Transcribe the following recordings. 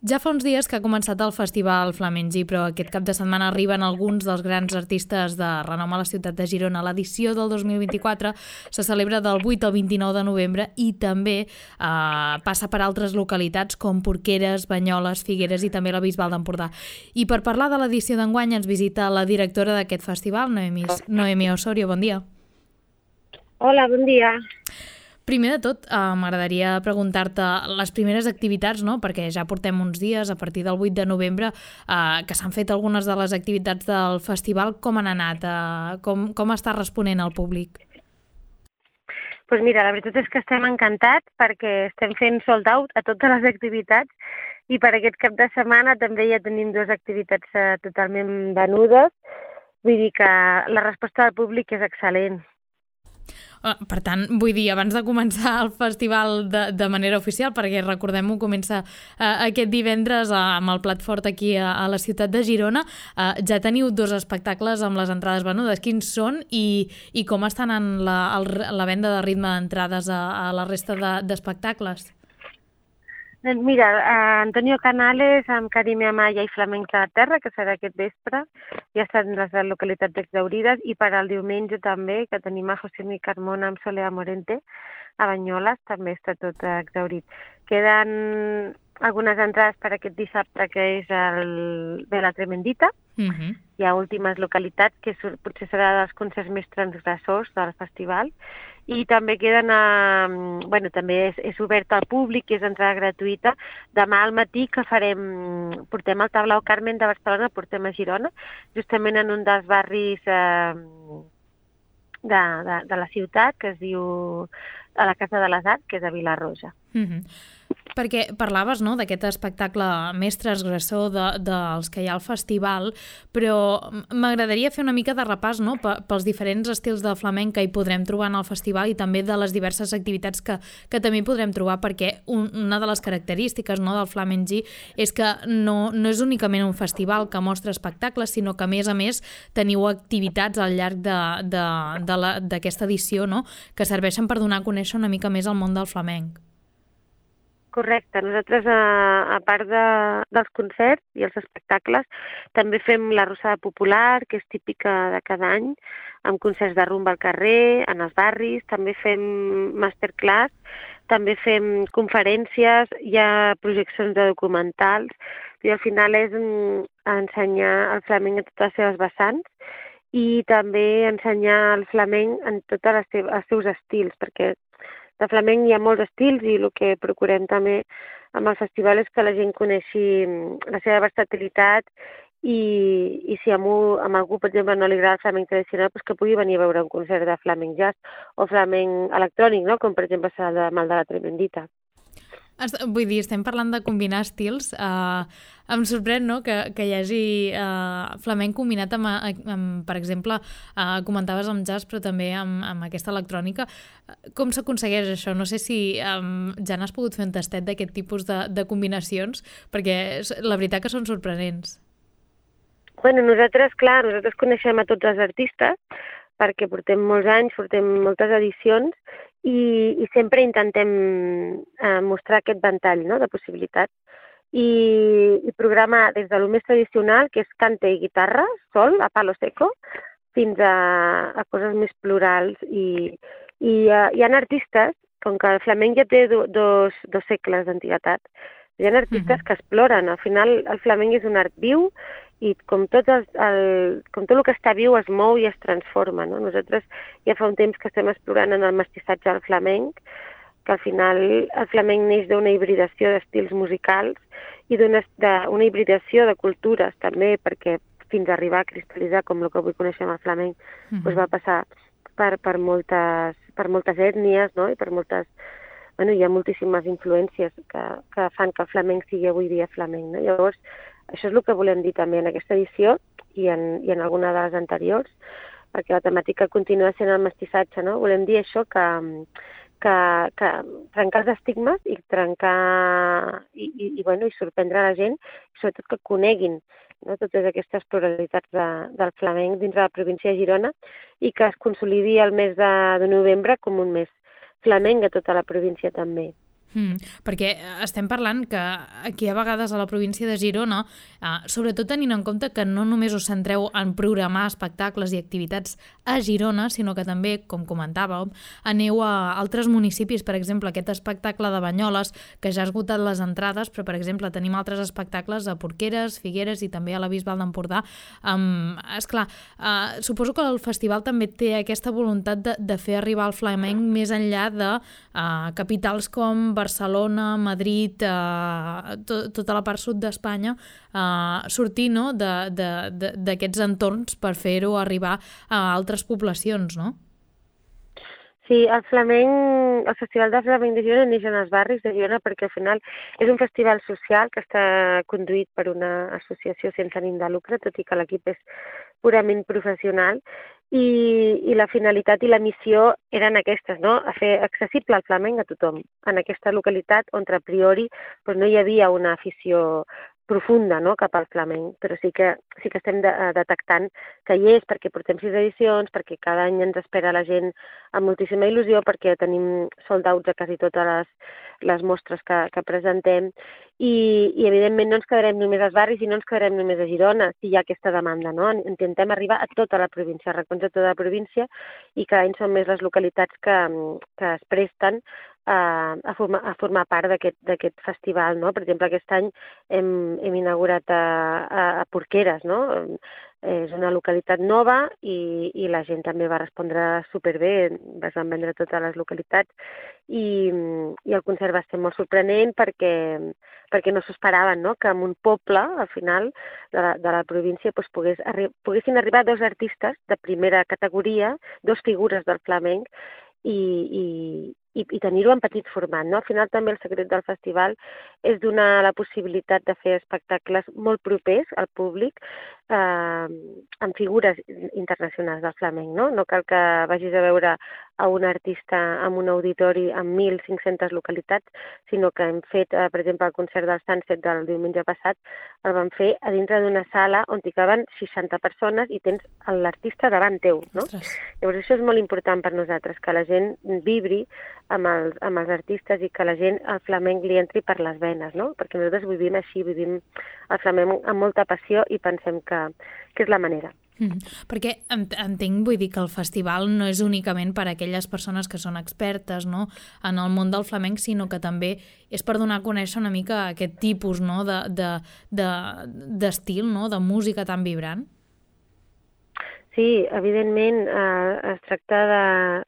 Ja fa uns dies que ha començat el Festival Flamengi, però aquest cap de setmana arriben alguns dels grans artistes de renom a la ciutat de Girona. L'edició del 2024 se celebra del 8 al 29 de novembre i també passa per altres localitats com Porqueres, Banyoles, Figueres i també la Bisbal d'Empordà. I per parlar de l'edició d'enguany ens visita la directora d'aquest festival, Noemi Osorio. Bon dia. Hola, bon dia. Primer de tot, m'agradaria preguntar-te les primeres activitats, no? Perquè ja portem uns dies, a partir del 8 de novembre, que s'han fet algunes de les activitats del festival. Com han anat? Com està responent el públic? Doncs mira, la veritat és que estem encantats perquè estem fent sold out a totes les activitats i per aquest cap de setmana també ja tenim 2 activitats totalment venudes. Vull dir que la resposta del públic és excel·lent. Per tant, vull dir, abans de començar el festival de manera oficial, perquè recordem-ho, comença aquest divendres amb el plat fort aquí a la ciutat de Girona, ja teniu 2 espectacles amb les entrades venudes. Quins són i com està anant la venda de ritme d'entrades a la resta d'espectacles? Doncs mira, Antonio Canales amb Carime Amaya i Flamencs de la Terra, que serà aquest vespre, ja estan les localitats exhaurides, i per al diumenge també, que tenim a José Mi Carmona amb Soledad Morente, a Banyoles, també està tot exhaurit. Queden algunes entrades per aquest dissabte, que és el de la Tremendita. Hi ha últimes localitats, que potser serà dels concerts més transgressors del festival, i també queden, també és obert al públic, és entrada gratuïta. Demà al matí que portem el Tablau Carmen de Barcelona, portem a Girona, justament en un dels barris de la ciutat, que es diu a la Casa de les Arts, que és a Vila-roja. Perquè parlaves, no?, d'aquest espectacle més transgressor dels que hi ha al festival, però m'agradaria fer una mica de repàs, no?, pels diferents estils de flamenc que hi podrem trobar en el festival i també de les diverses activitats que també hi podrem trobar, perquè una de les característiques, no?, del Flamengi és que no és únicament un festival que mostra espectacles, sinó que a més teniu activitats al llarg d'aquesta edició, no?, que serveixen per donar a conèixer una mica més el món del flamenc. Correcte. Nosaltres, a part dels concerts i els espectacles, també fem la Rossada Popular, que és típica de cada any, amb concerts de rumba al carrer, en els barris, també fem masterclass, també fem conferències, hi ha projeccions de documentals, i al final és ensenyar el flamenc en totes les seves vessants i també ensenyar el flamenc en tots els seus estils, perquè de flamenc hi ha molts estils i el que procurem també amb el festival és que la gent coneixi la seva versatilitat i si a algú, per exemple, no li agrada el flamenc tradicional, doncs que pugui venir a veure un concert de flamenc jazz o flamenc electrònic, no?, com per exemple serà el de la Tremendita. Vull dir, estem parlant de combinar estils. Em sorprèn, no?, que hi hagi flamenc combinat amb, per exemple, comentaves amb jazz, però també amb aquesta electrònica. Com s'aconsegueix això? No sé si ja n'has pogut fer un tastet d'aquest tipus de combinacions, perquè la veritat que són sorprenents. Bueno, nosaltres coneixem a tots els artistes, perquè portem molts anys, portem moltes edicions, i sempre intentem mostrar aquest ventall, no?, de possibilitats. I programar des de lo més tradicional, que és cante i guitarra, sol, a palo seco, fins a coses més plurals. I hi ha artistes, com que el flamenc ja té dos segles d'antiguitat, hi ha artistes que exploren. Al final, el flamenc és un art viu i com tot el que està viu es mou i es transforma, no? Nosaltres ja fa un temps que estem explorant en el mestissatge del flamenc, que al final el flamenc neix d'una hibridació d'estils musicals i d'una hibridació de cultures també, perquè fins a arribar a cristal·litzar com el que avui coneixem el flamenc, doncs va passar per moltes ètnies, no?, i per moltes... Bueno, hi ha moltíssimes influències que fan que el flamenc sigui avui dia flamenc, no? Llavors, això és el que volem dir també en aquesta edició i en alguna de les anteriors, perquè la temàtica continua sent el mestissatge, no? Volem dir això, que trencar els estigmes i trencar i sorprendre la gent, i sobretot que coneguin, no?, totes aquestes pluralitats del flamenc dins de la província de Girona i que es consolidi el mes de novembre com un mes flamenc a tota la província també. Perquè estem parlant que aquí a vegades a la província de Girona, sobretot tenint en compte que no només us centreu en programar espectacles i activitats a Girona, sinó que també, com comentàveu, aneu a altres municipis, per exemple, aquest espectacle de Banyoles, que ja ha esgotat les entrades, però, per exemple, tenim altres espectacles a Porqueres, Figueres i també a la Bisbal d'Empordà. Esclar, suposo que el festival també té aquesta voluntat de fer arribar el flamenc més enllà de capitals com Barcelona, Madrid, tota la part sud d'Espanya, sortir d'aquests entorns per fer-ho arribar a altres poblacions, no? Sí, el Festival de Flamenc de Girona neix en els barris de Girona perquè al final és un festival social que està conduït per una associació sense ànim de lucre, tot i que l'equip és purament professional, i la finalitat i la missió eren aquestes, no? A fer accessible el flamenc a tothom, en aquesta localitat on a priori no hi havia una afició profunda, no?, cap al flamenc, però sí que estem detectant que hi és, perquè portem 6 edicions, perquè cada any ens espera la gent amb moltíssima il·lusió, perquè tenim sold outs a quasi totes les mostres que presentem, i evidentment no ens quedarem només als barris i no ens quedarem només a Girona, si hi ha aquesta demanda, no? Intentem arribar a tota la província, a racons de tota la província, i cada any són més les localitats que es presten a formar part d'aquest festival, no? Per exemple, aquest any hem inaugurat a Porqueres, no? És una localitat nova i la gent també va respondre superbé, es van vendre totes les localitats i el concert va ser molt sorprenent perquè no s'ho esperaven, no?, que en un poble, al final, de la província, poguessin arribar 2 artistes de primera categoria, 2 figures del flamenc, i tenir-ho en petit format, no? Al final també el secret del festival és donar la possibilitat de fer espectacles molt propers al públic amb figures internacionals del flamenc, no? No cal que vagis a veure a un artista en un auditori amb 1.500 localitats, sinó que hem fet, per exemple, el concert del Sunset del diumenge passat, el vam fer a dintre d'una sala on hi caben 60 persones i tens l'artista davant teu, no? Ostres. Llavors això és molt important per nosaltres, que la gent vibri amb els artistes i que la gent el flamenc li entri per les venes, no? Perquè nosaltres vivim així, vivim el flamenc amb molta passió i pensem que és la manera. Perquè entenc, vull dir que el festival no és únicament per a aquelles persones que són expertes, no?, en el món del flamenc, sinó que també és per donar a conèixer una mica aquest tipus, no?, d'estil, no?, de música tan vibrant. Sí, evidentment es tracta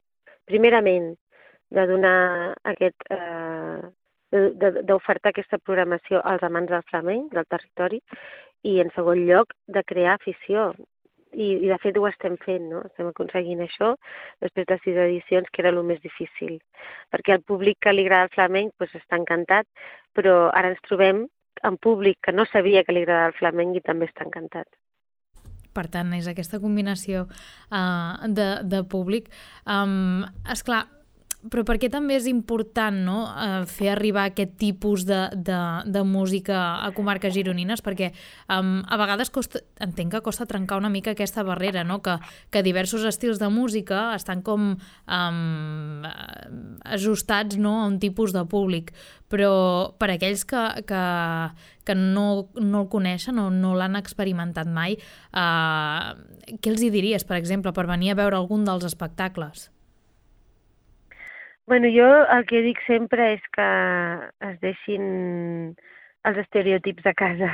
primerament, de donar d'ofertar aquesta programació als amants del flamenc, del territori, i en segon lloc de crear afició. I de fet ho estem fent, no? Estem aconseguint això després de 6 edicions, que era el més difícil. Perquè el públic que li agrada el flamenc està encantat, però ara ens trobem amb públic que no sabia que li agradava el flamenc i també està encantat. Per tant, és aquesta combinació de públic. Esclar, però per què també és important, no?, fer arribar aquest tipus de música a comarques gironines? Perquè a vegades entenc que costa trencar una mica aquesta barrera, no?, que diversos estils de música estan com ajustats, no?, a un tipus de públic. Però per aquells que no el coneixen o no l'han experimentat mai, què els hi diries, per exemple, per venir a veure algun dels espectacles? Bueno, jo el que dic sempre és que es deixin els estereotips a casa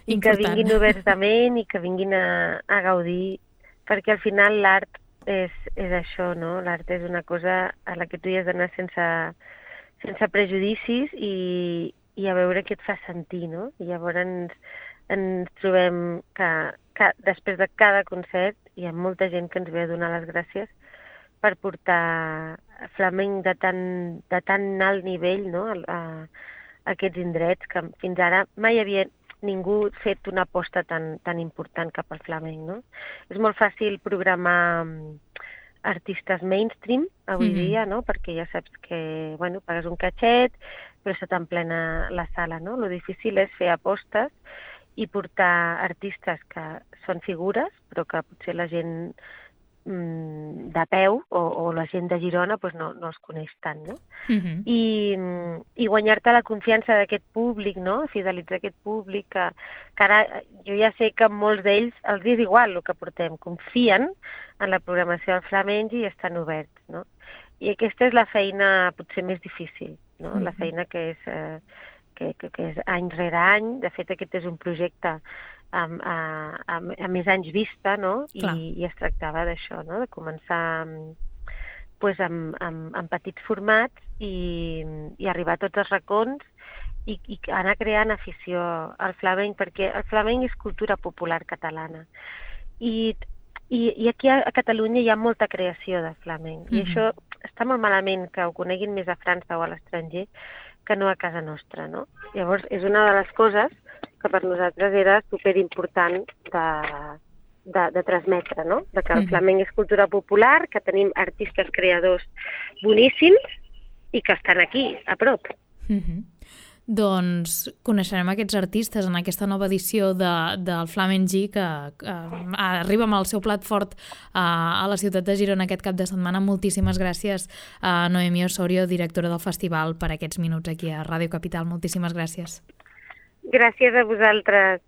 i que vinguin oberts de ment i que vinguin a gaudir, perquè al final l'art és això, no? L'art és una cosa a la que tu hi has d'anar sense prejudicis i a veure què et fa sentir, no? I llavors ens trobem que després de cada concert hi ha molta gent que ens ve a donar les gràcies per portar flamenc de tan alt nivell, no?, a aquests indrets que fins ara mai havia ningú fet una aposta tan important cap al flamenc, no? És molt fàcil programar artistes mainstream avui dia, no?, perquè ja saps que, bueno, pagues un catxet, però se t'emplena la sala, no? Lo difícil és fer apostes i portar artistes que són figures, però que potser la gent de peu o la gent de Girona doncs no els coneix tant, no? I guanyar-te la confiança d'aquest públic, no? Fidelitzar aquest públic que ara jo ja sé que molts d'ells els és igual el que portem, confien en la programació del flamenc i estan oberts, no? I aquesta és la feina potser més difícil, no? La feina que és any rere any. De fet, aquest és un projecte a més anys vista, no? I es tractava d'això, no? De començar pues, amb petits formats i arribar a tots els racons i anar creant afició al flamenc, perquè el flamenc és cultura popular catalana. I aquí a Catalunya hi ha molta creació de flamenc. I això està molt malament que ho coneguin més a França o a l'estranger que no a casa nostra, no? Llavors, és una de les coses que per nosaltres era superimportant de transmetre, no? De que el flamenc és cultura popular, que tenim artistes creadors boníssims i que estan aquí, a prop. Doncs coneixerem aquests artistes en aquesta nova edició del Flamenc G que arriba amb el seu plat fort a la ciutat de Girona aquest cap de setmana. Moltíssimes gràcies a Noemí Osorio, directora del festival, per aquests minuts aquí a Ràdio Capital. Moltíssimes gràcies. Gràcies a vosaltres.